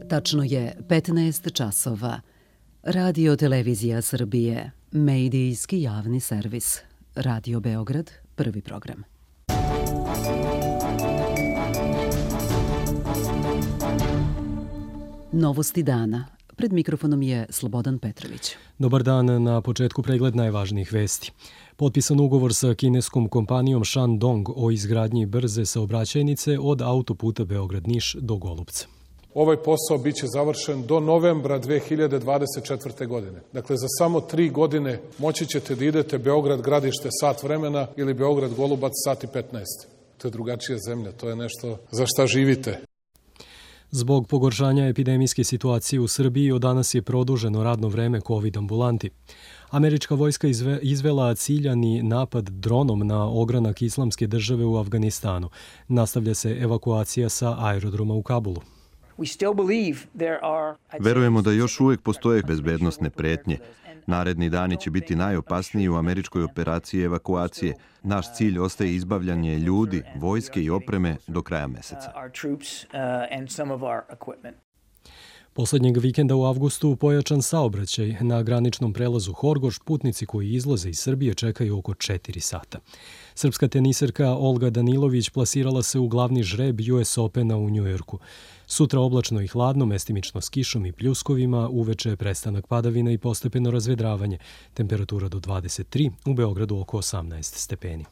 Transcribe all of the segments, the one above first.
Tačno je 15 časova. Radio Televizija Srbije, medijski javni servis. Radio Beograd, prvi program. Novosti dana. Pred mikrofonom je Slobodan Petrović. Dobar dan, na početku pregled najvažnijih vesti. Potpisan ugovor sa kineskom kompanijom Shandong o izgradnji brze saobraćajnice od autoputa Beograd-Niš do Golupca. Ovaj posao biće završen do novembra 2024. godine. Dakle, za samo 3 godine moći ćete da idete Beograd-Gradište sat vremena ili Beograd-Golubac sat i 15. To je drugačija zemlja, to je nešto za šta živite. Zbog pogoršanja epidemijske situacije u Srbiji od danas je produženo radno vreme COVID ambulanti. Američka vojska izvela ciljani napad dronom na ogranak Islamske države u Afganistanu. Nastavlja se evakuacija sa aerodroma u Kabulu. Verujemo da još uvijek postoje bezbednosne pretnje. Naredni dani će biti najopasniji u američkoj operaciji evakuacije. Naš cilj ostaje izbavljanje ljudi, vojske i opreme do kraja meseca. Poslednjeg vikenda u avgustu pojačan saobraćaj na graničnom prelazu Horgoš. Putnici koji izlaze iz Srbije čekaju oko 4 sata. Srpska teniserka Olga Danilović plasirala se u glavni žreb US Opena u Njujorku. Sutra oblačno i hladno, mestimično s kišom i pljuskovima, uveče prestanak padavina i postepeno razvedravanje. Temperatura do 23, u Beogradu oko 18 stepeni.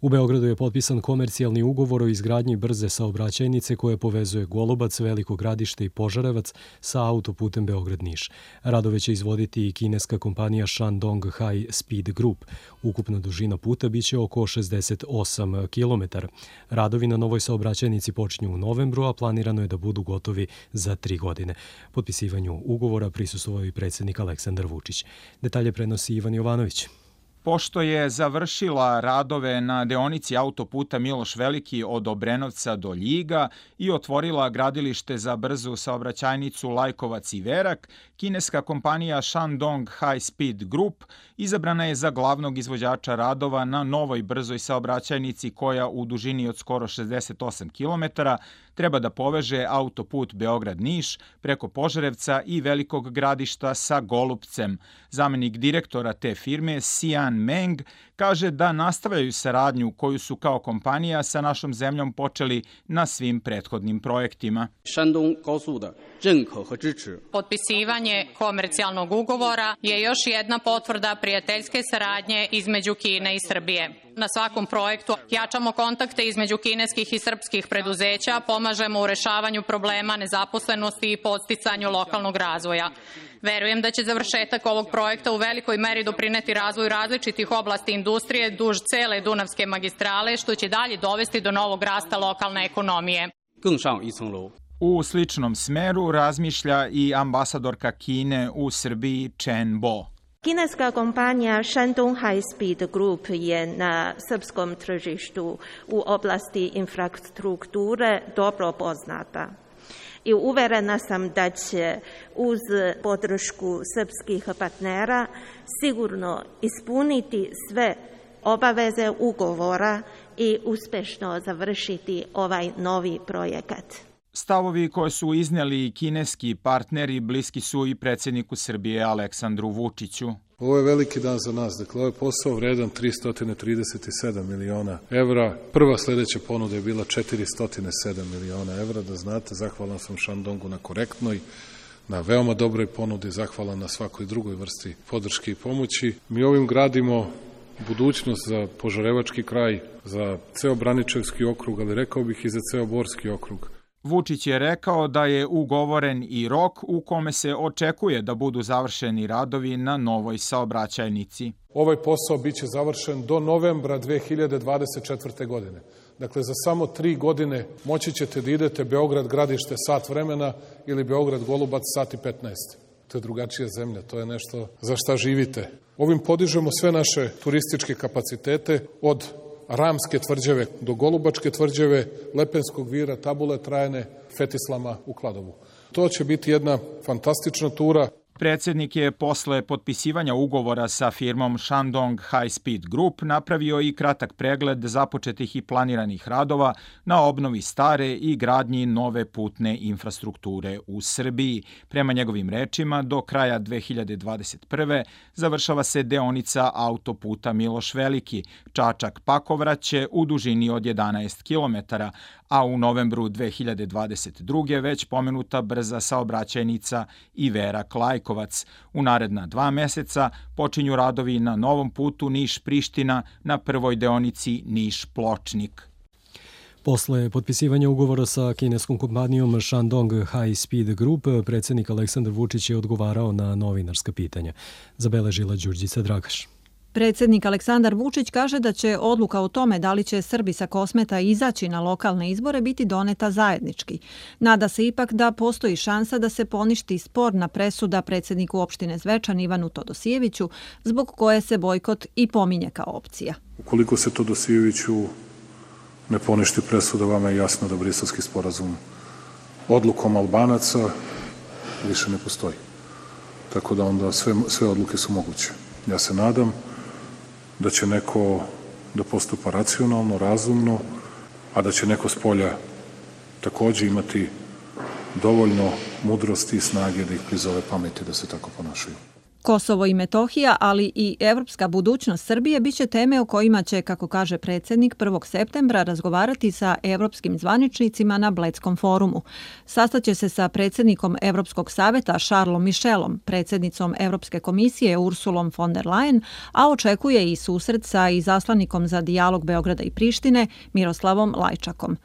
U Beogradu je potpisan komercijalni ugovor o izgradnji brze saobraćajnice koje povezuje Golubac, Veliko Gradište i Požarevac sa autoputem Beograd-Niš. Radove će izvoditi i kineska kompanija Shandong High Speed Group. Ukupna dužina puta biće oko 68 km. Radovi na novoj saobraćajnici počinju u novembru, a planirano je da budu gotovi za 3 godine. Potpisivanju ugovora prisustvovao i predsjednik Aleksandar Vučić. Detalje prenosi Ivan Jovanović. Pošto je završila radove na deonici autoputa Miloš Veliki od Obrenovca do Ljiga i otvorila gradilište za brzu saobraćajnicu Lajkovac i Verak, kineska kompanija Shandong High Speed Group izabrana je za glavnog izvođača radova na novoj brzoj saobraćajnici koja u dužini od skoro 68 km treba da poveže autoput Beograd-Niš preko Požarevca i Velikog Gradišta sa Golupcem. Zamenik direktora te firme, Xian Meng, kaže da nastavljaju saradnju koju su kao kompanija sa našom zemljom počeli na svim prethodnim projektima. Potpisivanje komercijalnog ugovora je još jedna potvrda prijateljske saradnje između Kine i Srbije. Na svakom projektu jačamo kontakte između kineskih i srpskih preduzeća, pomažemo u rešavanju problema nezaposlenosti i podsticanju lokalnog razvoja. Verujem da će završetak ovog projekta u velikoj meri doprineti razvoju različitih oblasti industrije duž cele Dunavske magistrale, što će dalje dovesti do novog rasta lokalne ekonomije. U sličnom smeru razmišlja i ambasadorka Kine u Srbiji Chen Bo. Kineska kompanija Shandong High Speed Group je na srpskom tržištu u oblasti infrastrukture dobro poznata. I uverena sam da će uz podršku srpskih partnera sigurno ispuniti sve obaveze ugovora i uspešno završiti ovaj novi projekat. Stavovi koje su iznijeli kineski partneri bliski su i predsjedniku Srbije Aleksandru Vučiću. Ovo je veliki dan za nas. Dakle, ovo je posao vredan 337 miliona evra. Prva sljedeća ponuda je bila 407 miliona evra. Da znate, zahvalan sam Shandongu na korektnoj, na veoma dobroj ponudi, zahvalan na svakoj drugoj vrsti podrške i pomoći. Mi ovim gradimo budućnost za Požarevački kraj, za ceo Braničevski okrug, ali rekao bih i za ceo Borski okrug. Vučić je rekao da je ugovoren i rok u kome se očekuje da budu završeni radovi na novoj saobraćajnici. Ovaj posao biće završen do novembra 2024. godine. Dakle, za samo 3 godine moći ćete da idete Beograd-Gradište sat vremena ili Beograd-Golubac sat i 15. To je drugačija zemlja, to je nešto za šta živite. Ovim podižemo sve naše turističke kapacitete od Ramske tvrđave do Golubačke tvrđave, Lepenskog vira, Tabule Trajane, Fetislama u Kladovu. To će biti jedna fantastična tura. Predsjednik je posle potpisivanja ugovora sa firmom Shandong High Speed Group napravio i kratak pregled započetih i planiranih radova na obnovi stare i gradnji nove putne infrastrukture u Srbiji. Prema njegovim rečima, do kraja 2021. završava se deonica autoputa Miloš Veliki, Čačak-Pakovraće u dužini od 11 km, a u novembru 2022. već pomenuta brza saobraćajnica Iverak-Lajkovac. U naredna 2 meseca počinju radovi na novom putu Niš-Priština na prvoj deonici Niš-Pločnik. Posle potpisivanja ugovora sa kineskom kompanijom Shandong High Speed Group, predsjednik Aleksandar Vučić je odgovarao na novinarska pitanja. Zabeležila Đurđica Dragaš. Predsjednik Aleksandar Vučić kaže da će odluka o tome da li će Srbi sa Kosmeta izaći na lokalne izbore biti doneta zajednički. Nada se ipak da postoji šansa da se poništi sporna presuda predsjedniku opštine Zvečan Ivanu Todosijeviću, zbog koje se bojkot i pominje kao opcija. Ukoliko se Todosijeviću ne poništi presuda, vama je jasno da Briselski sporazum odlukom Albanaca više ne postoji. Tako da onda sve odluke su moguće. Ja se nadam da će neko da postupa racionalno, razumno, a da će neko s polja takođe imati dovoljno mudrosti i snage da ih prizove pameti da se tako ponašaju. Kosovo i Metohija, ali i evropska budućnost Srbije biće teme o kojima će, kako kaže predsjednik, 1. septembra razgovarati sa evropskim zvaničnicima na Bledskom forumu. Sastaće se sa predsjednikom Evropskog saveta Charlesom Michelom, predsjednicom Evropske komisije Ursulom von der Leyen, a očekuje i susret sa izaslanikom za dijalog Beograda i Prištine Miroslavom Lajčakom.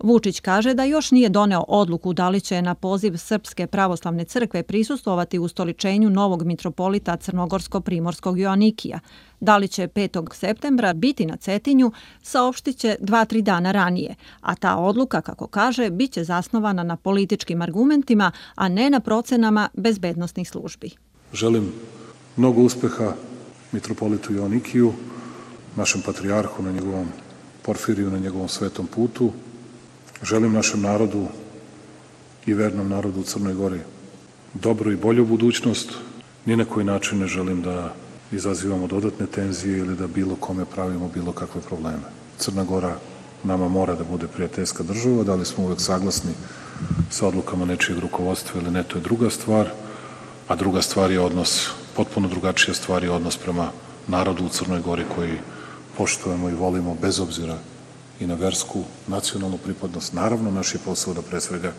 Vučić kaže da još nije doneo odluku da li će na poziv Srpske pravoslavne crkve prisustvovati ustoličenju novog mitropolita Crnogorsko-Primorskog Joanikija. Da li će 5. septembra biti na Cetinju, saopštit će 2-3 dana ranije, a ta odluka, kako kaže, bit će zasnovana na političkim argumentima, a ne na procenama bezbednosnih službi. Želim mnogo uspeha mitropolitu Joanikiju, našem patrijarhu na njegovom Porfiriju, na njegovom svetom putu. Želim našem narodu i vernom narodu u Crnoj Gori dobru i bolju budućnost. Ni na koji način ne želim da izazivamo dodatne tenzije ili da bilo kome pravimo bilo kakve probleme. Crna Gora nama mora da bude prijateljska država, da li smo uvek saglasni sa odlukama nečijeg rukovodstva ili ne, to je druga stvar, a druga stvar je odnos, potpuno drugačija stvar je odnos prema narodu u Crnoj Gori koji poštujemo i volimo bez obzira i na versku, nacionalnu pripadnost. Naravno, naš je posao da pre svega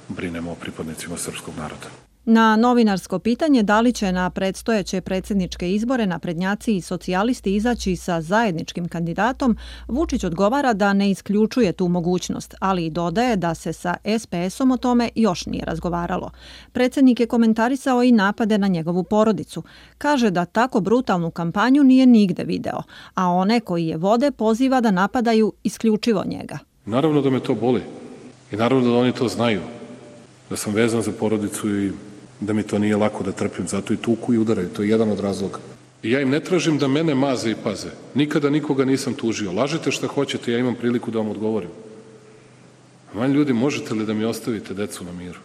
brinemo o pripadnicima srpskog naroda. Na novinarsko pitanje da li će na predstojeće predsjedničke izbore naprednjaci i socijalisti izaći sa zajedničkim kandidatom, Vučić odgovara da ne isključuje tu mogućnost, ali i dodaje da se sa SPS-om o tome još nije razgovaralo. Predsjednik je komentarisao i napade na njegovu porodicu. Kaže da tako brutalnu kampanju nije nigde video, a one koji je vode poziva da napadaju isključivo njega. Naravno da me to boli i naravno da oni to znaju, da sam vezan za porodicu i da mi to nije lako da trpim, zato i tuku i udaraju, to je jedan od razloga. I ja im ne tražim da mene maze i paze. Nikada nikoga nisam tužio. Lažete šta hoćete, ja imam priliku da vam odgovorim. Manj ljudi, možete li da mi ostavite decu na miru?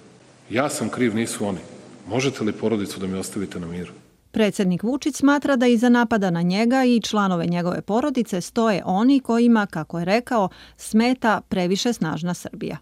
Ja sam kriv, nisu oni. Možete li porodicu da mi ostavite na miru? Predsjednik Vučić smatra da iza napada na njega i članove njegove porodice stoje oni kojima, kako je rekao, smeta previše snažna Srbija.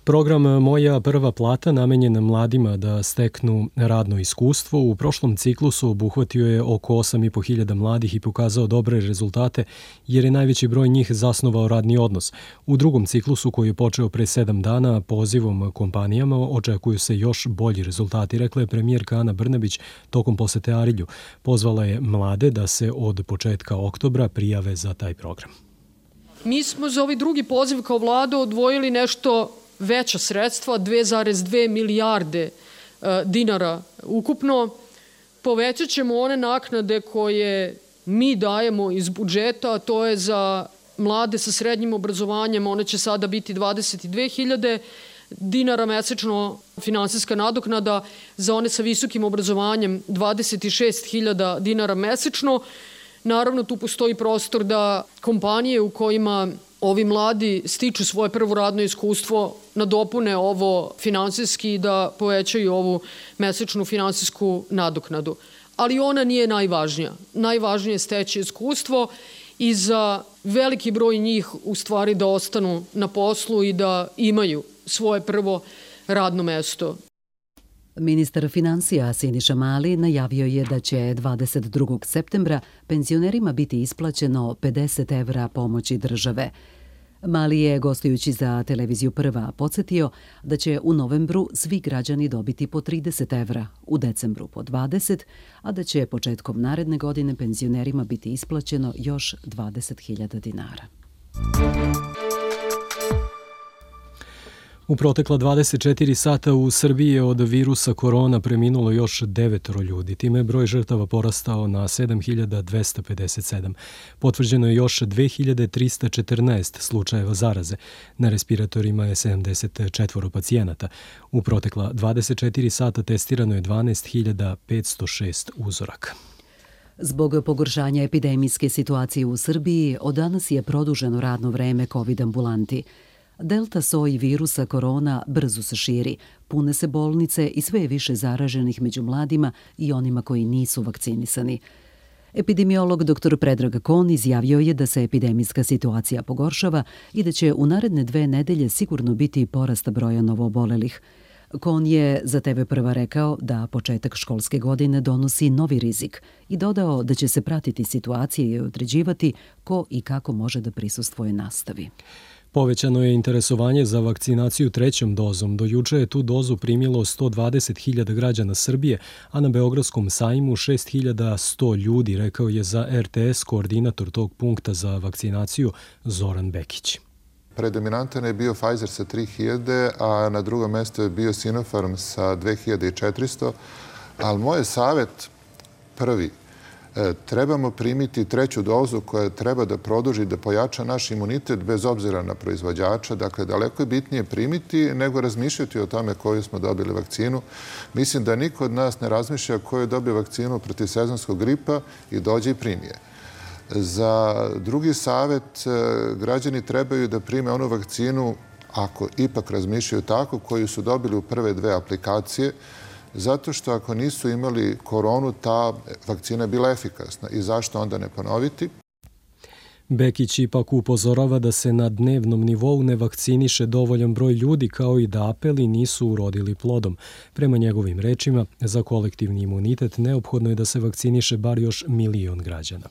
Program Moja prva plata namenjen mladima da steknu radno iskustvo u prošlom ciklusu obuhvatio je oko 8.500 mladih i pokazao dobre rezultate jer je najveći broj njih zasnovao radni odnos. U drugom ciklusu koji je počeo pre 7 dana pozivom kompanijama očekuju se još bolji rezultati, rekla je premijerka Ana Brnabić tokom posete Arilju. Pozvala je mlade da se od početka oktobra prijave za taj program. Mi smo za ovaj drugi poziv kao vlada odvojili nešto veća sredstva, 2,2 milijarde dinara ukupno. Povećat ćemo one naknade koje mi dajemo iz budžeta, a to je za mlade sa srednjim obrazovanjem, one će sada biti 22.000 dinara mesečno finansijska nadoknada, za one sa visokim obrazovanjem 26.000 dinara mesečno. Naravno, tu postoji prostor da kompanije u kojima ovi mladi stiču svoje prvo radno iskustvo, nadopune ovo finansijski i da povećaju ovu mesečnu finansijsku nadoknadu. Ali ona nije najvažnija. Najvažnije je steći iskustvo i za veliki broj njih u stvari da ostanu na poslu i da imaju svoje prvo radno mesto. Ministar financija Siniša Mali najavio je da će 22. septembra penzionerima biti isplaćeno 50 evra pomoći države. Mali je, gostujući za televiziju Prva, podsjetio da će u novembru svi građani dobiti po 30 evra, u decembru po 20, a da će početkom naredne godine penzionerima biti isplaćeno još 20.000 dinara. U protekla 24 sata u Srbiji je od virusa korona preminulo još 9 ljudi. Time je broj žrtava porastao na 7.257. Potvrđeno je još 2.314 slučajeva zaraze. Na respiratorima je 74 pacijenata. U protekla 24 sata testirano je 12.506 uzoraka. Zbog pogoršanja epidemijske situacije u Srbiji, od danas je produženo radno vreme COVID ambulanti. Delta soj virusa korona brzo se širi, pune se bolnice i sve je više zaraženih među mladima i onima koji nisu vakcinisani. Epidemiolog dr. Predrag Kon izjavio je da se epidemijska situacija pogoršava i da će u naredne 2 nedelje sigurno biti porast broja novoobolelih. Kon je za TV Prva rekao da početak školske godine donosi novi rizik i dodao da će se pratiti situacije i određivati ko i kako može da prisustvuje nastavi. Povećano je interesovanje za vakcinaciju 3. dozom. Do juče je tu dozu primilo 120.000 građana Srbije, a na Beogradskom sajmu 6.100 ljudi, rekao je za RTS koordinator tog punkta za vakcinaciju Zoran Bekić. Predominantan je bio Pfizer sa 3.000, a na drugom mjestu je bio Sinopharm sa 2.400, ali moj je savjet prvi. Trebamo primiti 3. dozu koja treba da produži, da pojača naš imunitet bez obzira na proizvođača. Dakle, daleko je bitnije primiti nego razmišljati o tome koju smo dobili vakcinu. Mislim da niko od nas ne razmišlja koju je dobio vakcinu protiv sezonskog gripa i dođe i primi je. Za drugi savjet, građani trebaju da prime onu vakcinu, ako ipak razmišljaju tako, koju su dobili u prve 2 aplikacije, zato što ako nisu imali koronu, ta vakcina je bila efikasna. I zašto onda ne ponoviti? Bekić ipak upozorava da se na dnevnom nivou ne vakciniše dovoljan broj ljudi, kao i da apeli nisu urodili plodom. Prema njegovim rečima, za kolektivni imunitet neophodno je da se vakciniše bar još 1 milion građana.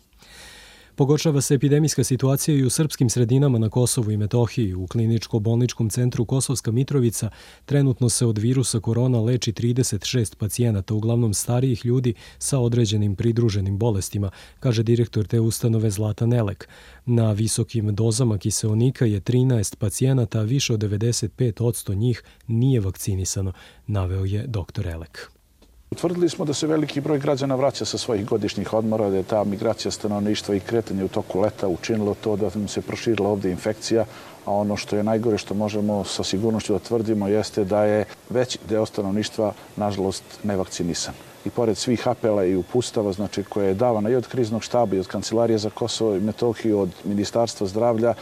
Pogoršava se epidemijska situacija i u srpskim sredinama na Kosovu i Metohiji. U kliničko-bolničkom centru Kosovska Mitrovica trenutno se od virusa korona leči 36 pacijenata, uglavnom starijih ljudi sa određenim pridruženim bolestima, kaže direktor te ustanove Zlatan Elek. Na visokim dozama kiseonika je 13 pacijenata, a više od 95% njih nije vakcinisano, naveo je dr. Elek. Utvrdili smo da se veliki broj građana vraća sa svojih godišnjih odmora, da je ta migracija stanovništva i kretanje u toku leta učinilo to da nam se proširila ovdje infekcija, a ono što je najgore što možemo sa sigurnošću da tvrdimo jeste da je veći deo stanovništva, nažalost, nevakcinisan. I pored svih apela i upustava, znači, koje je davana i od kriznog štaba i od Kancelarije za Kosovo i Metohiju, od Ministarstva zdravlja,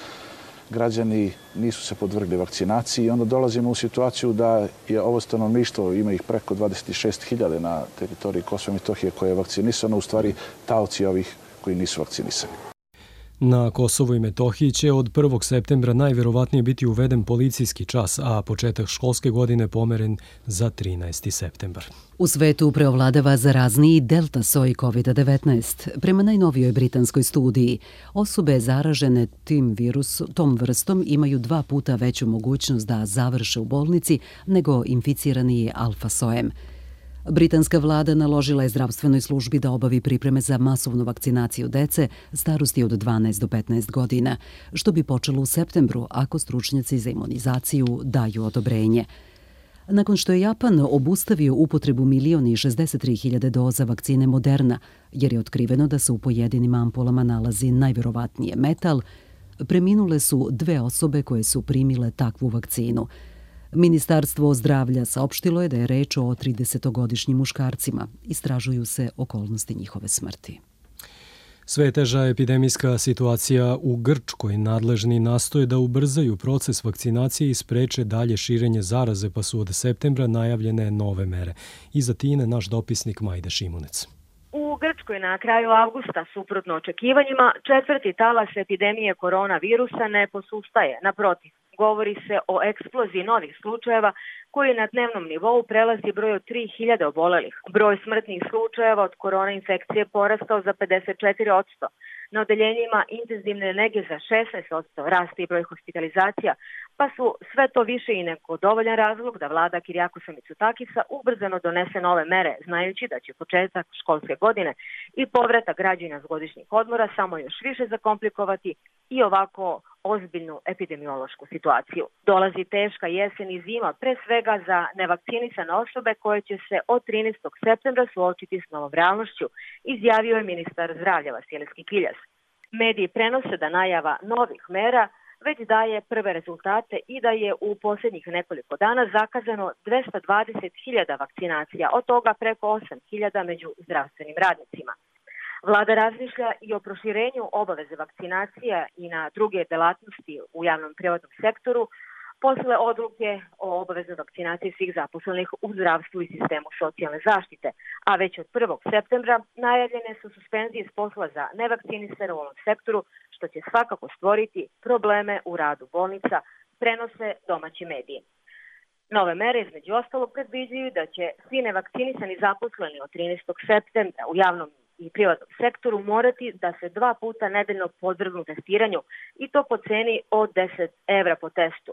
građani nisu se podvrgli vakcinaciji i onda dolazimo u situaciju da je ovo stanovništvo, ima ih preko 26.000 na teritoriji Kosova i Metohije koje je vakcinisano, u stvari taoci ovih koji nisu vakcinisani. Na Kosovu i Metohiji će od 1. septembra najverovatnije biti uveden policijski čas, a početak školske godine pomeren za 13. septembar. U svetu preovladava zarazniji delta soj COVID-19. Prema najnovijoj britanskoj studiji, osobe zaražene tom vrstom imaju 2 puta veću mogućnost da završe u bolnici nego inficirani alfa sojem. Britanska vlada naložila je zdravstvenoj službi da obavi pripreme za masovnu vakcinaciju dece starosti od 12 do 15 godina, što bi počelo u septembru ako stručnjaci za imunizaciju daju odobrenje. Nakon što je Japan obustavio upotrebu 1.063.000 doza vakcine Moderna, jer je otkriveno da se u pojedinim ampulama nalazi najverovatnije metal, preminule su 2 osobe koje su primile takvu vakcinu. Ministarstvo zdravlja saopštilo je da je reč o 30-godišnjim muškarcima. Istražuju se okolnosti njihove smrti. Sve je teža epidemijska situacija u Grčkoj. Nadležni nastoje da ubrzaju proces vakcinacije i spreče dalje širenje zaraze, pa su od septembra najavljene nove mere. Iz Atine naš dopisnik Majda Šimunec. U Grčkoj na kraju avgusta, suprotno očekivanjima, četvrti talas epidemije koronavirusa ne posustaje. Naprotiv, govori se o eksploziji novih slučajeva koji na dnevnom nivou prelazi broj od 3000 obolelih. Broj smrtnih slučajeva od korona infekcije porastao za 54%. Na odeljenjima intenzivne nege za 16% raste i broj hospitalizacija, pa su sve to više i neko dovoljan razlog da vlada Kirijakosa Mitsotakisa ubrzano donese nove mere, znajući da će početak školske godine i povratak građana s godišnjih odmora samo još više zakomplikovati i ovako ozbiljnu epidemiološku situaciju. Dolazi teška jesen i zima, pre svega za nevakcinisane osobe koje će se od 13. septembra suočiti s novom realnošću, izjavio je ministar zdravlja Vasilijski Kiljas. Mediji prenose da najava novih mera već daje prve rezultate i da je u posljednjih nekoliko dana zakazano 220.000 vakcinacija, od toga preko 8.000 među zdravstvenim radnicima. Vlada razmišlja i o proširenju obaveze vakcinacija i na druge delatnosti u javnom privatnom sektoru posle odluke o obaveznoj vakcinaciji svih zaposlenih u zdravstvu i sistemu socijalne zaštite, a već od 1. septembra najavljene su suspenzije s posla za nevakcinisane u ovom sektoru, što će svakako stvoriti probleme u radu bolnica, prenose domaći mediji. Nove mere između ostalog predviđaju da će svi nevakcinisani zaposleni od 13. septembra u javnom i privatnom sektoru morati da se 2 puta nedeljno podvrgnu testiranju i to po ceni od 10 evra po testu.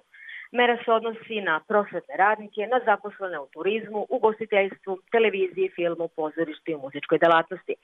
Mera se odnosi na prosvetne radnike, na zaposlene u turizmu, ugostiteljstvu, televiziji, filmu, pozorištu i muzičkoj delatnosti.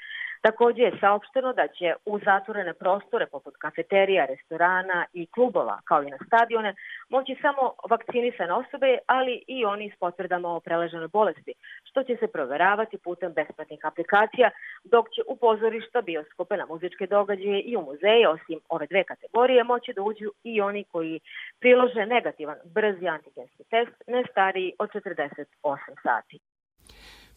Također je saopšteno da će u zatvorene prostore poput kafeterija, restorana i klubova, kao i na stadione, moći samo vakcinisane osobe, ali i oni s potvrdama o preleženoj bolesti, što će se proveravati putem besplatnih aplikacija, dok će u pozorišta, bioskope, na muzičke događaje i u muzeje, osim ove dve kategorije, moći da uđu i oni koji prilože negativan brzi antigenski test ne stariji od 48 sati.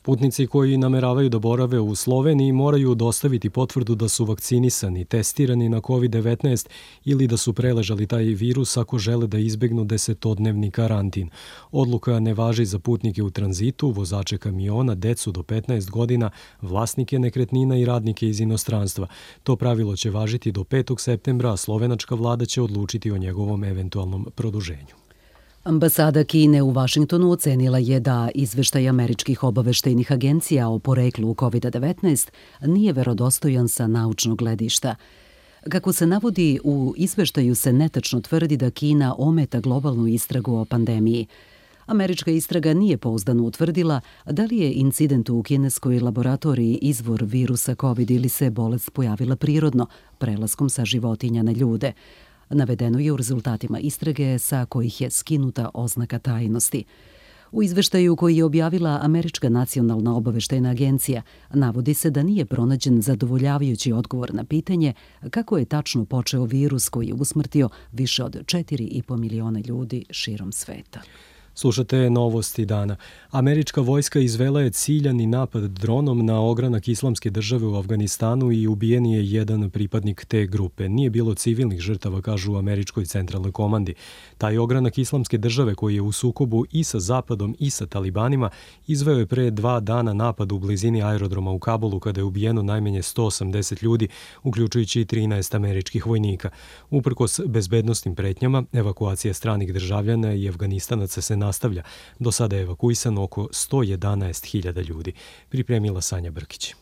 Putnici koji nameravaju da borave u Sloveniji moraju dostaviti potvrdu da su vakcinisani, testirani na COVID-19 ili da su preležali taj virus ako žele da izbegnu 10-dnevni karantin. Odluka ne važi za putnike u tranzitu, vozače kamiona, decu do 15 godina, vlasnike nekretnina i radnike iz inostranstva. To pravilo će važiti do 5. septembra, a slovenačka vlada će odlučiti o njegovom eventualnom produženju. Ambasada Kine u Vašingtonu ocenila je da izveštaj američkih obaveštajnih agencija o poreklu COVID-19 nije verodostojan sa naučnog gledišta. Kako se navodi, u izveštaju se netačno tvrdi da Kina ometa globalnu istragu o pandemiji. Američka istraga nije pouzdano utvrdila da li je incident u kineskoj laboratoriji izvor virusa COVID ili se bolest pojavila prirodno, prelaskom sa životinja na ljude. Navedeno je u rezultatima istrage sa kojih je skinuta oznaka tajnosti. U izveštaju koji je objavila Američka nacionalna obaveštajna agencija navodi se da nije pronađen zadovoljavajući odgovor na pitanje kako je tačno počeo virus koji je usmrtio više od 4,5 miliona ljudi širom sveta. Slušate novosti dana. Američka vojska izvela je ciljani napad dronom na ogranak Islamske države u Afganistanu i ubijen je jedan pripadnik te grupe. Nije bilo civilnih žrtava, kažu u Američkoj centralnoj komandi. Taj ogranak Islamske države, koji je u sukobu i sa Zapadom i sa talibanima, izveo je pre 2 dana napad u blizini aerodroma u Kabulu, kada je ubijeno najmanje 180 ljudi, uključujući i 13 američkih vojnika. Uprkos bezbednosnim pretnjama, evakuacija stranih državljana i Afganistanaca se nastavlja. Do sada je evakuisano oko 111.000 ljudi. Pripremila Sanja Brkić.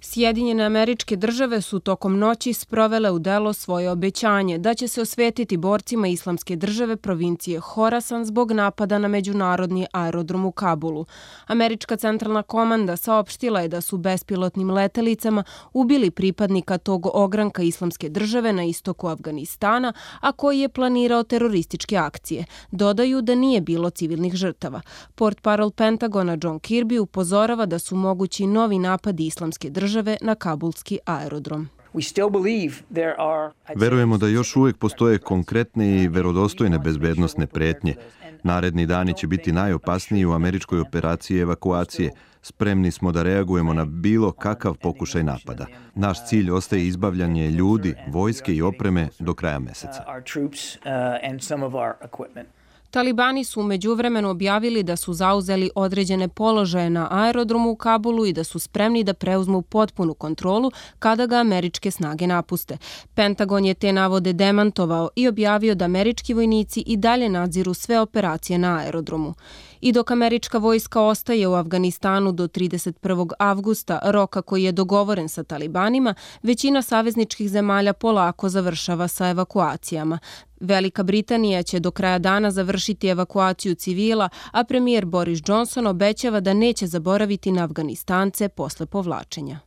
Sjedinjene Američke Države su tokom noći sprovele u delo svoje obećanje da će se osvetiti borcima Islamske države provincije Horasan zbog napada na međunarodni aerodrom u Kabulu. Američka centralna komanda saopštila je da su bespilotnim letelicama ubili pripadnika tog ogranka Islamske države na istoku Afganistana, a koji je planirao terorističke akcije. Dodaju da nije bilo civilnih žrtava. Portparol Pentagona John Kirby upozorava da su mogući novi napadi Islamske države na kabulski aerodrom. Verujemo da još uvijek postoje konkretne i verodostojne bezbednosne pretnje. Naredni dani će biti najopasniji u američkoj operaciji evakuacije. Spremni smo da reagujemo na bilo kakav pokušaj napada. Naš cilj ostaje izbavljanje ljudi, vojske i opreme do kraja meseca. Talibani su u međuvremenu objavili da su zauzeli određene položaje na aerodromu u Kabulu i da su spremni da preuzmu potpunu kontrolu kada ga američke snage napuste. Pentagon je te navode demantovao i objavio da američki vojnici i dalje nadziru sve operacije na aerodromu. I dok američka vojska ostaje u Afganistanu do 31. avgusta, roka koji je dogovoren sa talibanima, većina savezničkih zemalja polako završava sa evakuacijama. Velika Britanija će do kraja dana završiti evakuaciju civila, a premijer Boris Johnson obećava da neće zaboraviti na Afganistance posle povlačenja.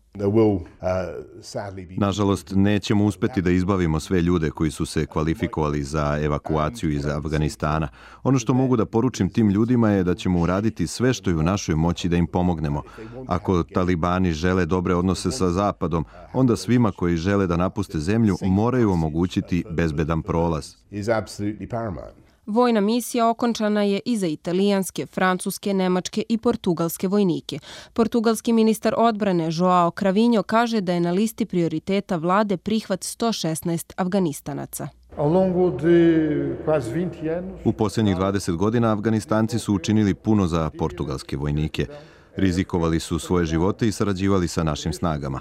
Nažalost, nećemo uspeti da izbavimo sve ljude koji su se kvalifikovali za evakuaciju iz Afganistana. Ono što mogu da poručim tim ljudima je da ćemo uraditi sve što je u našoj moći da im pomognemo. Ako talibani žele dobre odnose sa Zapadom, onda svima koji žele da napuste zemlju moraju omogućiti bezbedan prolaz. Vojna misija okončana je i za italijanske, francuske, nemačke i portugalske vojnike. Portugalski ministar odbrane Joao Cravinho kaže da je na listi prioriteta vlade prihvat 116 Afganistanaca. U posljednjih 20 godina Afganistanci su učinili puno za portugalske vojnike. Rizikovali su svoje živote i sarađivali sa našim snagama.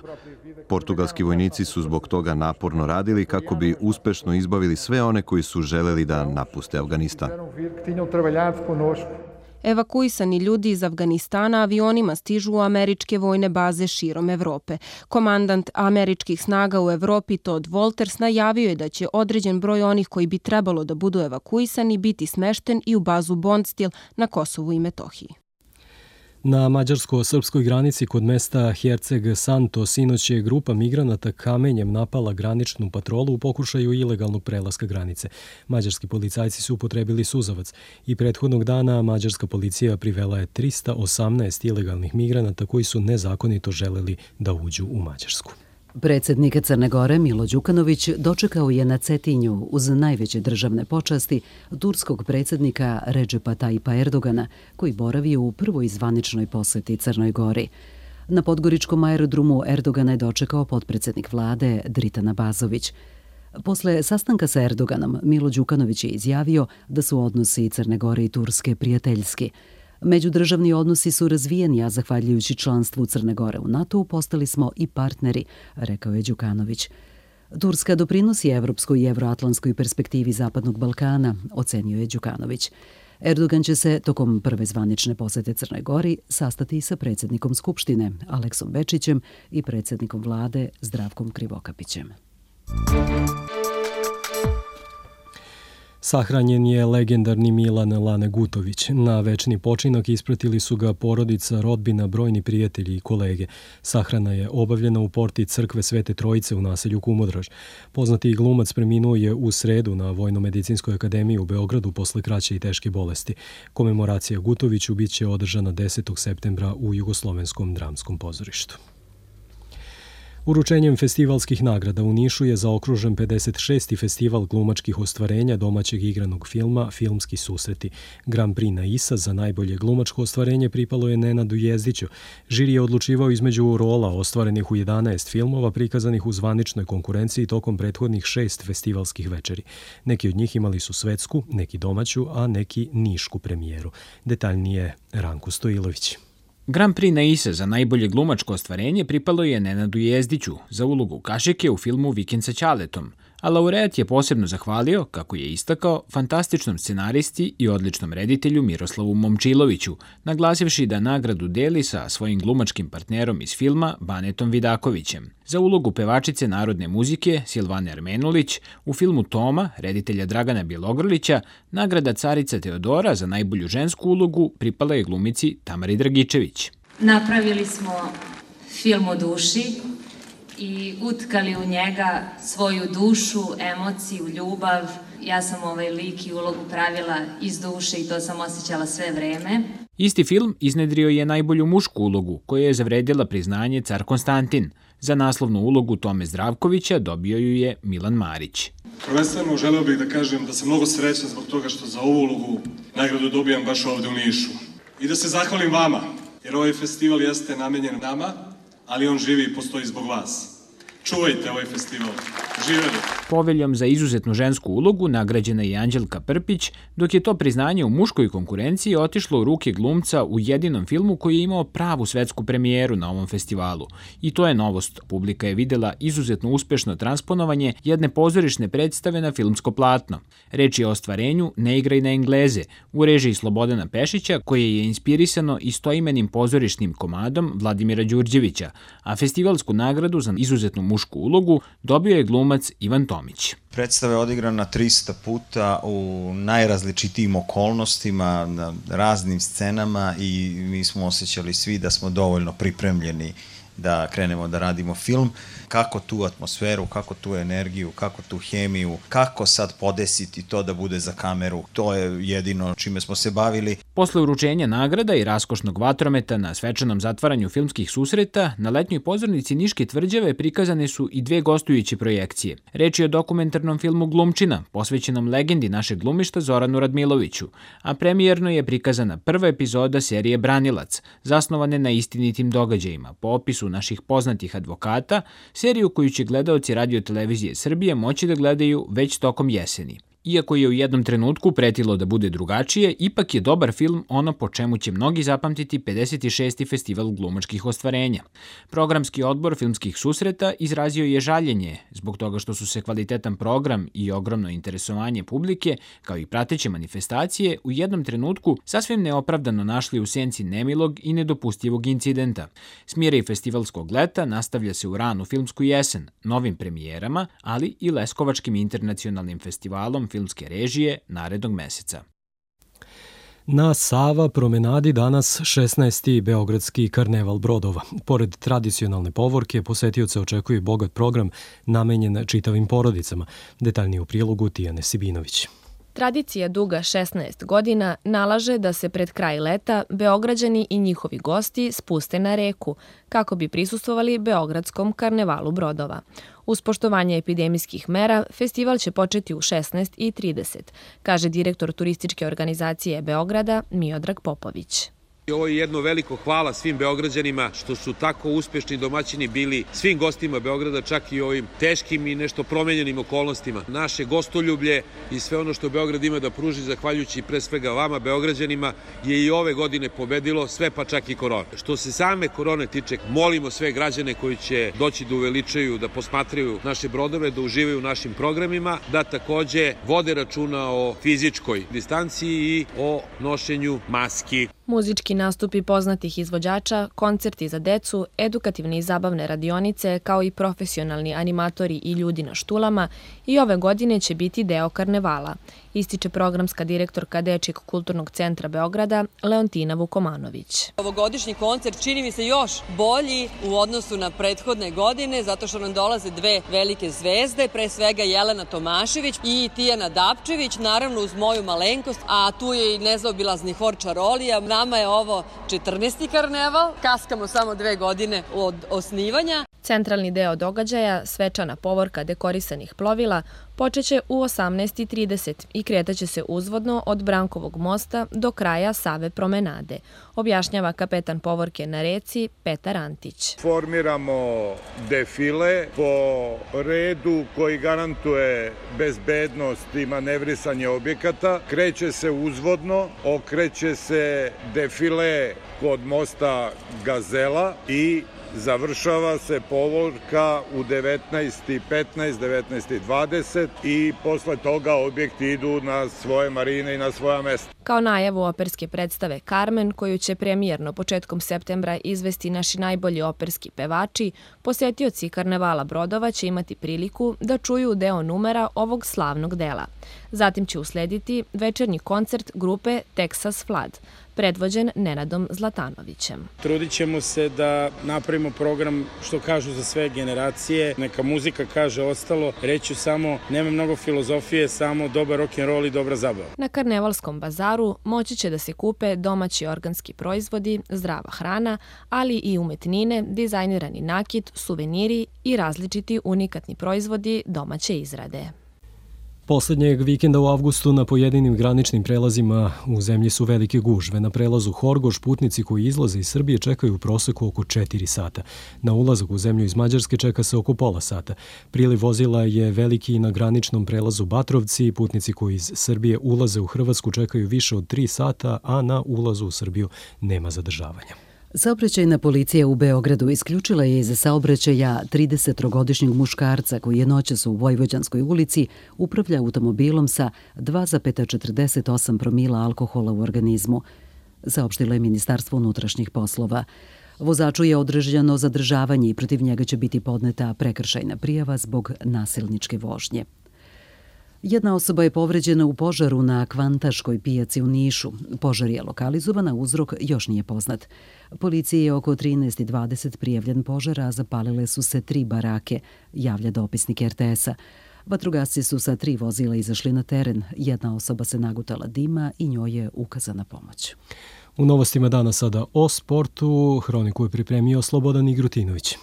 Portugalski vojnici su zbog toga naporno radili kako bi uspešno izbavili sve one koji su želeli da napuste Afganistan. Evakuisani ljudi iz Afganistana avionima stižu u američke vojne baze širom Evrope. Komandant američkih snaga u Evropi Todd Wolters najavio je da će određen broj onih koji bi trebalo da budu evakuisani biti smešten i u bazu Bondstil na Kosovu i Metohiji. Na mađarsko-srpskoj granici kod mesta Herceg Santo sinoć je grupa migranata kamenjem napala graničnu patrolu u pokušaju ilegalnog prelaska granice. Mađarski policajci su upotrebili suzavac i prethodnog dana mađarska policija privela je 318 ilegalnih migranata koji su nezakonito želeli da uđu u Mađarsku. Predsjednik Crne Gore Milo Đukanović dočekao je na Cetinju uz najveće državne počasti turskog predsjednika Redžepa Tajipa Erdogana, koji boravi u prvoj zvaničnoj posjeti Crnoj Gori. Na podgoričkom aerodromu Erdogana je dočekao potpredsjednik vlade Dritan Abazović. Posle sastanka sa Erdoganom, Milo Đukanović je izjavio da su odnosi Crne Gore i Turske prijateljski. Međudržavni odnosi su razvijeni, a zahvaljujući članstvu Crne Gore u NATO-u postali smo i partneri, rekao je Đukanović. Turska doprinosi evropskoj i evroatlantskoj perspektivi Zapadnog Balkana, ocenio je Đukanović. Erdogan će se tokom prve zvanične posete Crnoj Gori sastati sa predsjednikom Skupštine Aleksom Bečićem i predsjednikom vlade Zdravkom Krivokapićem. Sahranjen je legendarni Milan Lane Gutović. Na večni počinak ispratili su ga porodica, rodbina, brojni prijatelji i kolege. Sahrana je obavljena u porti crkve Svete Trojice u naselju Kumodraž. Poznati glumac preminuo je u sredu na Vojno-medicinskoj akademiji u Beogradu posle kraće i teške bolesti. Komemoracija Gutoviću biće održana 10. septembra u Jugoslovenskom dramskom pozorištu. Uručenjem festivalskih nagrada u Nišu je zaokružen 56. festival glumačkih ostvarenja domaćeg igranog filma Filmski susreti. Grand Prix na ISA za najbolje glumačko ostvarenje pripalo je Nenadu Jezdiću. Žiri je odlučivao između rola ostvarenih u 11 filmova prikazanih u zvaničnoj konkurenciji tokom prethodnih 6 festivalskih večeri. Neki od njih imali su svetsku, neki domaću, a neki nišku premijeru. Detaljnije Ranko Stojilović. Grand Prix na ISA za najbolje glumačko ostvarenje pripalo je Nenadu Jezdiću za ulogu Kašike u filmu Vikend sa Ćaletom, a laureat je posebno zahvalio, kako je istakao, fantastičnom scenaristi i odličnom reditelju Miroslavu Momčiloviću, naglasivši da nagradu deli sa svojim glumačkim partnerom iz filma Banetom Vidakovićem. Za ulogu pevačice narodne muzike Silvane Armenulić u filmu Toma, reditelja Dragana Bjelogrlića, nagrada Carica Teodora za najbolju žensku ulogu pripala je glumici Tamari Dragičević. Napravili smo film o duši i utkali u njega svoju dušu, emociju, ljubav. Ja sam ovaj lik i ulogu pravila iz duše i to sam osjećala sve vreme. Isti film iznedrio je najbolju mušku ulogu, koja je zavredila priznanje Car Konstantin. Za naslovnu ulogu Tome Zdravkovića dobio ju je Milan Marić. Prvenstveno želeo bih da kažem da sam mnogo srećan zbog toga što za ovu ulogu nagradu dobijam baš ovde u Nišu. I da se zahvalim vama, jer ovaj festival jeste namenjen nama, ali on živi i postoji zbog vas. Čuvajte ovaj festival. Živeli! Poveljom za izuzetnu žensku ulogu nagrađena je Anđelka Prpić, dok je to priznanje u muškoj konkurenciji otišlo u ruke glumca u jedinom filmu koji je imao pravu svetsku premijeru na ovom festivalu. I to je novost. Publika je videla izuzetno uspešno transponovanje jedne pozorišne predstave na filmsko platno. Reč je o ostvarenju Ne igraj na Engleze u režiji Slobodana Pešića, koje je inspirisano istoimenim pozorišnim komadom Vladimira Đurđevića, a festivalsku nagradu za izuzetnu mušku ulogu dobio je glumac Ivan Tomić. Predstava je odigrana 300 puta u najrazličitijim okolnostima, na raznim scenama i mi smo osjećali svi da smo dovoljno pripremljeni da krenemo da radimo film. Kako tu atmosferu, kako tu energiju, kako tu hemiju, kako sad podesiti to da bude za kameru, to je jedino čime smo se bavili. Posle uručenja nagrada i raskošnog vatrometa na svečanom zatvaranju filmskih susreta, na letnjoj pozornici Niške tvrđave prikazane su i dve gostujuće projekcije. Reč je o dokumentarnom filmu Glumčina, posvećenom legendi našeg glumišta Zoranu Radmiloviću, a premijerno je prikazana prva epizoda serije Branilac, zasnovane na istinitim događajima, po opisu naših poznatih advokata, seriju koju će gledaoci Radio-televizije Srbije moći da gledaju već tokom jeseni. Iako je u jednom trenutku pretilo da bude drugačije, ipak je dobar film ono po čemu će mnogi zapamtiti 56. festival glumačkih ostvarenja. Programski odbor filmskih susreta izrazio je žaljenje zbog toga što su se kvalitetan program i ogromno interesovanje publike, kao i prateće manifestacije, u jednom trenutku sasvim neopravdano našli u senci nemilog i nedopustivog incidenta. Smiraj festivalskog leta nastavlja se u ranu filmsku jesen, novim premijerama, ali i Leskovačkim internacionalnim festivalom filmske režije narednog meseca. Na Sava promenadi danas 16. Beogradski karneval brodova. Pored tradicionalne povorke, posetioce očekuje bogat program namenjen čitavim porodicama. Detaljnije u prilogu Tijane Sibinović. Tradicija duga 16 godina nalaže da se pred kraj leta Beograđani i njihovi gosti spuste na reku kako bi prisustvovali Beogradskom karnevalu brodova. Uz poštovanje epidemijskih mera, festival će početi u 16:30, kaže direktor turističke organizacije Beograda Miodrag Popović. Ovo je jedno veliko hvala svim Beograđanima što su tako uspešni domaćini bili svim gostima Beograda, čak i ovim teškim i nešto promenjenim okolnostima. Naše gostoljublje i sve ono što Beograd ima da pruži, zahvaljujući pre svega vama, Beograđanima, je i ove godine pobedilo, sve pa čak i korona. Što se same korone tiče, molimo sve građane koji će doći da uveličaju, da posmatraju naše brodove, da uživaju u našim programima, da takođe vode računa o fizičkoj distanciji i o nošenju maski. Muzički nastupi poznatih izvođača, koncerti za decu, edukativne i zabavne radionice, kao i profesionalni animatori i ljudi na štulama i ove godine će biti deo karnevala, ističe programska direktorka Dečijeg kulturnog centra Beograda Leontina Vukomanović. Ovogodišnji koncert čini mi se još bolji u odnosu na prethodne godine, zato što nam dolaze dve velike zvezde, pre svega Jelena Tomašević i Tijana Dapčević, naravno uz moju malenkost, a tu je i nezaobilazni hor Čarolija. Nama je ovo 14. karneval, kaskamo samo 2 godine od osnivanja. Centralni deo događaja, svečana povorka dekorisanih plovila, počeće u 18:30 i kretaće se uzvodno od Brankovog mosta do kraja Save promenade, objašnjava kapetan povorke na reci Petar Antić. Formiramo defile po redu koji garantuje bezbednost i manevrisanje objekata. Kreće se uzvodno, okreće se defile kod mosta Gazela i završava se povorka u 19:15, 19:20 i posle toga objekti idu na svoje marine i na svoja mesta. Kao najavu operske predstave Carmen, koju će premijerno početkom septembra izvesti naši najbolji operski pevači, posetioci karnevala brodova će imati priliku da čuju deo numera ovog slavnog dela. Zatim će uslediti večernji koncert grupe Texas Flood. predvođen Nenadom Zlatanovićem. Trudit ćemo se da napravimo program što kažu za sve generacije. Neka muzika kaže ostalo. Reću samo, nema mnogo filozofije, samo dobar rock'n'roll i dobra zabava. Na Karnevalskom bazaru moći će da se kupe domaći organski proizvodi, zdrava hrana, ali i umetnine, dizajnirani nakit, suveniri i različiti unikatni proizvodi domaće izrade. Poslednjeg vikenda u avgustu na pojedinim graničnim prelazima u zemlji su velike gužve. Na prelazu Horgoš putnici koji izlaze iz Srbije čekaju u proseku oko 4 sata. Na ulazak u zemlju iz Mađarske čeka se oko pola sata. Priliv vozila je veliki i na graničnom prelazu Batrovci. Putnici koji iz Srbije ulaze u Hrvatsku čekaju više od 3 sata, a na ulazu u Srbiju nema zadržavanja. Saobraćajna policija u Beogradu isključila je iz saobraćaja 33-godišnjeg muškarca koji je noćas u Vojvođanskoj ulici upravlja automobilom sa 2,48 promila alkohola u organizmu, saopštilo je Ministarstvo unutrašnjih poslova. Vozaču je određeno zadržavanje i protiv njega će biti podneta prekršajna prijava zbog nasilničke vožnje. Jedna osoba je povređena u požaru na Kvantaškoj pijaci u Nišu. Požar je lokalizovan, a uzrok još nije poznat. Policiji je oko 13:20 prijavljen požar, a zapalile su se 3 barake, javlja dopisnik RTS-a. Vatrogasci su sa 3 vozila izašli na teren. Jedna osoba se nagutala dima i njoj je ukazana pomoć. U novostima dana sada o sportu. Hroniku je pripremio Slobodan Igrutinović.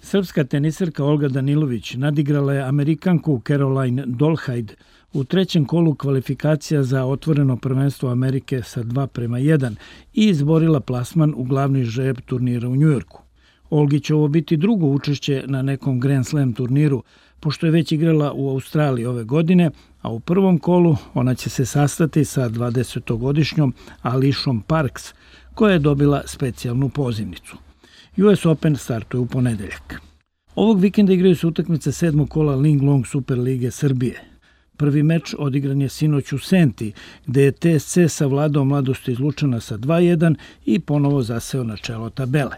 Srpska teniserka Olga Danilović nadigrala je Amerikanku Caroline Dolhaid u trećem kolu kvalifikacija za otvoreno prvenstvo Amerike sa 2:1 i izborila plasman u glavni žreb turnira u Njujorku. Olgi će ovo biti drugo učešće na nekom Grand Slam turniru, pošto je već igrala u Australiji ove godine, a u prvom kolu ona će se sastati sa 20-godišnjom Alishom Parks, koja je dobila specijalnu pozivnicu. US Open startuje u ponedeljak. Ovog vikenda igraju se utakmice 7. kola Ling Long Super Lige Srbije. Prvi meč odigran je sinoć u Senti, gde je TSC savladao Mladost iz Lučana sa 2:1 i ponovo zaseo na čelo tabele.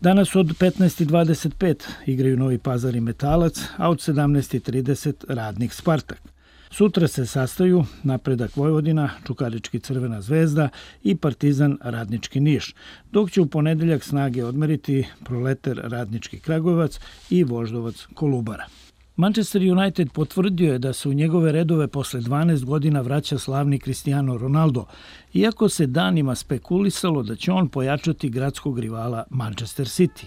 Danas od 15:25 igraju Novi Pazar i Metalac, a od 17:30 Radnik Spartak. Sutra se sastaju Napredak Vojvodina, Čukarički Crvena zvezda i Partizan Radnički Niš, dok će u ponedeljak snage odmeriti Proletar Radnički Kragujevac i Voždovac Kolubara. Manchester United potvrdio je da se u njegove redove posle 12 godina vraća slavni Cristiano Ronaldo, iako se danima spekulisalo da će on pojačati gradskog rivala Manchester City.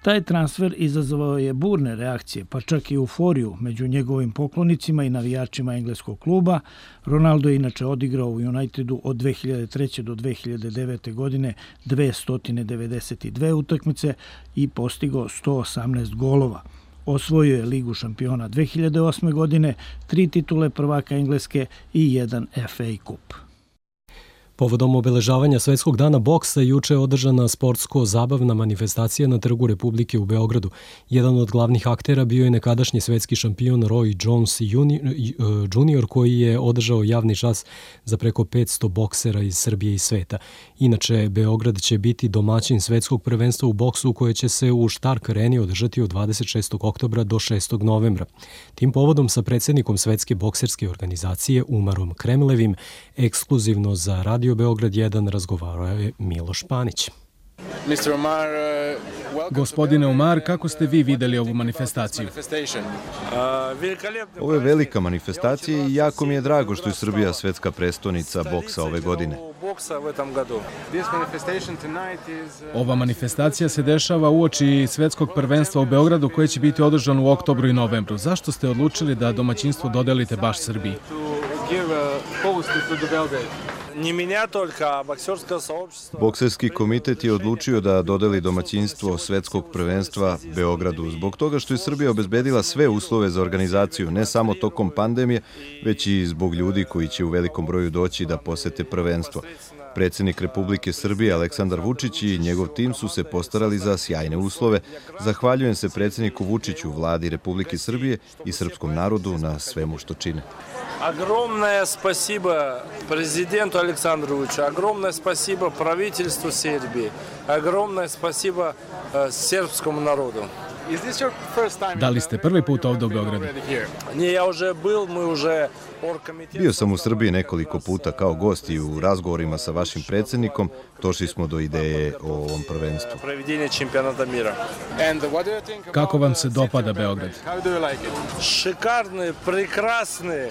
Taj transfer izazvao je burne reakcije, pa čak i euforiju među njegovim poklonicima i navijačima engleskog kluba. Ronaldo je inače odigrao u Unitedu od 2003. do 2009. godine 292 utakmice i postigao 118 golova. Osvojio je Ligu šampiona 2008. godine, 3 titule prvaka Engleske i 1 FA Kup. Povodom obeležavanja Svetskog dana boksa juče je održana sportsko-zabavna manifestacija na Trgu Republike u Beogradu. Jedan od glavnih aktera bio je nekadašnji svetski šampion Roy Jones Jr. koji je održao javni čas za preko 500 boksera iz Srbije i sveta. Inače, Beograd će biti domaćin svetskog prvenstva u boksu koje će se u Štark Areni održati od 26. oktobra do 6. novembra. Tim povodom sa predsjednikom Svetske bokserske organizacije Umarom Kremlevim ekskluzivno za Radio Beograd 1 razgovarao je Miloš Panić. Gospodine Umar, kako ste vi videli ovu manifestaciju? Ovo je velika manifestacija i jako mi je drago što je Srbija svetska prestonica boksa ove godine. Ova manifestacija se dešava uoči svetskog prvenstva u Beogradu koje će biti održano u oktobru i novembru. Zašto ste odlučili da domaćinstvo dodelite baš Srbiji? Bokserski komitet je odlučio da dodeli domaćinstvo svetskog prvenstva Beogradu zbog toga što je Srbija obezbedila sve uslove za organizaciju, ne samo tokom pandemije, već i zbog ljudi koji će u velikom broju doći da posete prvenstvo. Predsjednik Republike Srbije Aleksandar Vučić i njegov tim su se postarali za sjajne uslove. Zahvaljujem se predsjedniku Vučiću, vladi Republike Srbije i srpskom narodu na svemu što čine. Огромное спасибо президенту Александру Vučiću, огромное спасибо правительству Сербии, огромное спасибо сербскому народу. Da li ste prvi put ovdje u Beogradu? Bio sam u Srbiji nekoliko puta kao gost i u razgovorima sa vašim predsjednikom došli smo do ideje o ovom prvenstvu. Kako vam se dopada Beograd? Šekarne, prekrasne.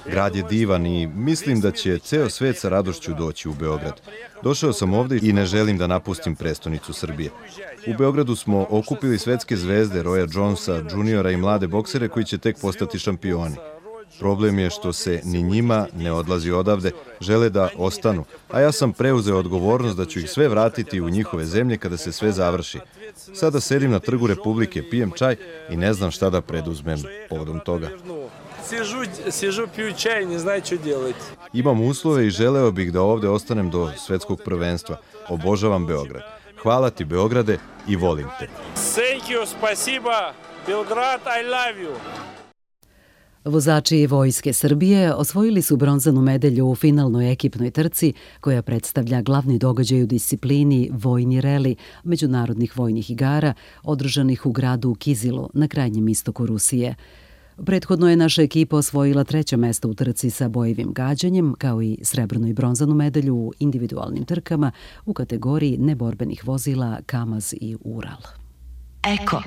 Grad je divan i mislim da će ceo svet sa radošću doći u Beograd. Došao sam ovdje i ne želim da napustim prestonicu Srbije. U Beogradu smo okupili svetske zvezde Roya Jonesa, juniora i mlade boksere koji će tek postati šampioni. Problem je što se ni njima ne odlazi odavde, žele da ostanu, a ja sam preuzeo odgovornost da ću ih sve vratiti u njihove zemlje kada se sve završi. Sada sedim na Trgu Republike, pijem čaj i ne znam šta da preduzmem povodom toga. Сижу, пью чай, не знаю, что делать. Imam uslove i želeo bih da ovdje ostanem do svetskog prvenstva. Obožavam Beograd. Hvala ti, Beograde, i volim te. Thank you, спасибо. Belgrad, I love you. Vozači Vojske Srbije osvojili su bronzanu medalju u finalnoj ekipnoj trci koja predstavlja glavni događaj u disciplini Vojni reli međunarodnih vojnih igara održanih u gradu Kizilu na krajnjem istoku Rusije. Prethodno je naša ekipa osvojila 3. mesto u trci sa bojevim gađanjem, kao i srebrnu i bronzanu medalju u individualnim trkama u kategoriji neborbenih vozila Kamaz i Ural. Eko.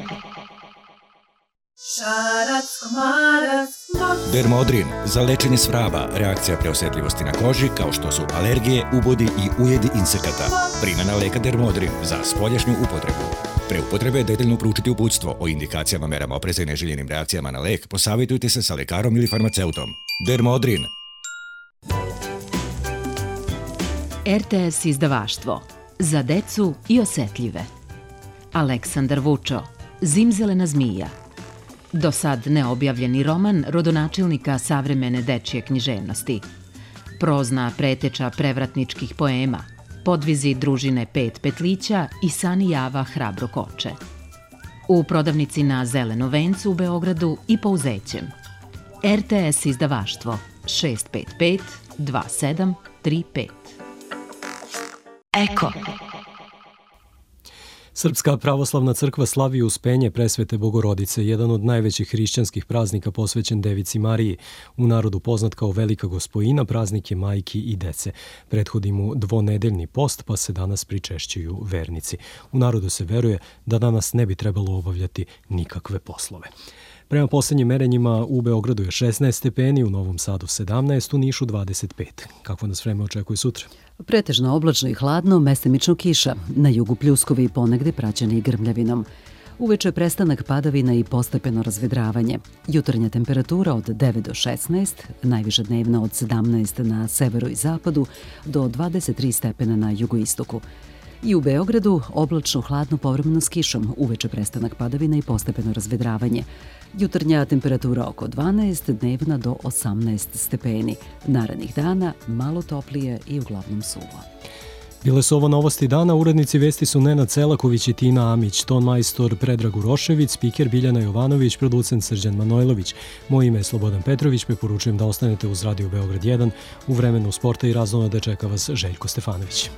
Dermodrin za lečenje svraba, reakcija preosjetljivosti na koži kao što su alergije, ubodi i ujedi insekata. Primjena leka Dermodrin za spoljašnju upotrebu. Pre upotrebe detaljno proučiti uputstvo o indikacijama, merama opreza i neželjenim reakcijama na lek, posavjetujte se sa lekarom ili farmaceutom. Dermodrin. RTS izdavaštvo. Za decu i osjetljive. Aleksandar Vučo. Zimzelena zmija. Do sad neobjavljeni roman rodonačelnika savremene dečje književnosti. Prozna preteča prevratničkih poema. Podvizi družine Pet petlića i Sani Java hrabro koče. U prodavnici na Zeleno vencu u Beogradu i po Uzećem. RTS izdavaštvo 655 2735. Eko. Srpska pravoslavna crkva slavi Uspenje Presvete Bogorodice, jedan od najvećih hrišćanskih praznika posvećen Devici Mariji, u narodu poznat kao Velika Gospojina, praznik je majki i dece. Prethodi mu dvonedeljni post, pa se danas pričešćuju vernici. U narodu se veruje da danas ne bi trebalo obavljati nikakve poslove. Prema poslednjim merenjima u Beogradu je 16 stepeni, u Novom Sadu 17, u Nišu 25. Kako nas vreme očekuje sutra? Pretežno oblačno i hladno, mestimično kiša. Na jugu pljuskovi i ponegde praćeni grmljavinom. Uveče prestanak padavina i postepeno razvedravanje. Jutarnja temperatura od 9 do 16, najviša dnevna od 17 na severu i zapadu do 23 stepena na jugoistoku. I u Beogradu oblačno hladno povremeno s kišom, uveče prestanak padavina i postepeno razvedravanje. Jutarnja temperatura oko 12, dnevna do 18 stepeni. Narednih dana malo toplije i uglavnom suvo. Bile su ovo novosti dana, urednici vesti su Nenad Celaković i Tina Amić, ton majstor Predrag Urošević, spiker Biljana Jovanović, producent Srđan Manojlović. Moje ime je Slobodan Petrović, preporučujem da ostanete uz Radio Beograd 1. U vremenu sporta i razonode čeka vas Željko Stefanović.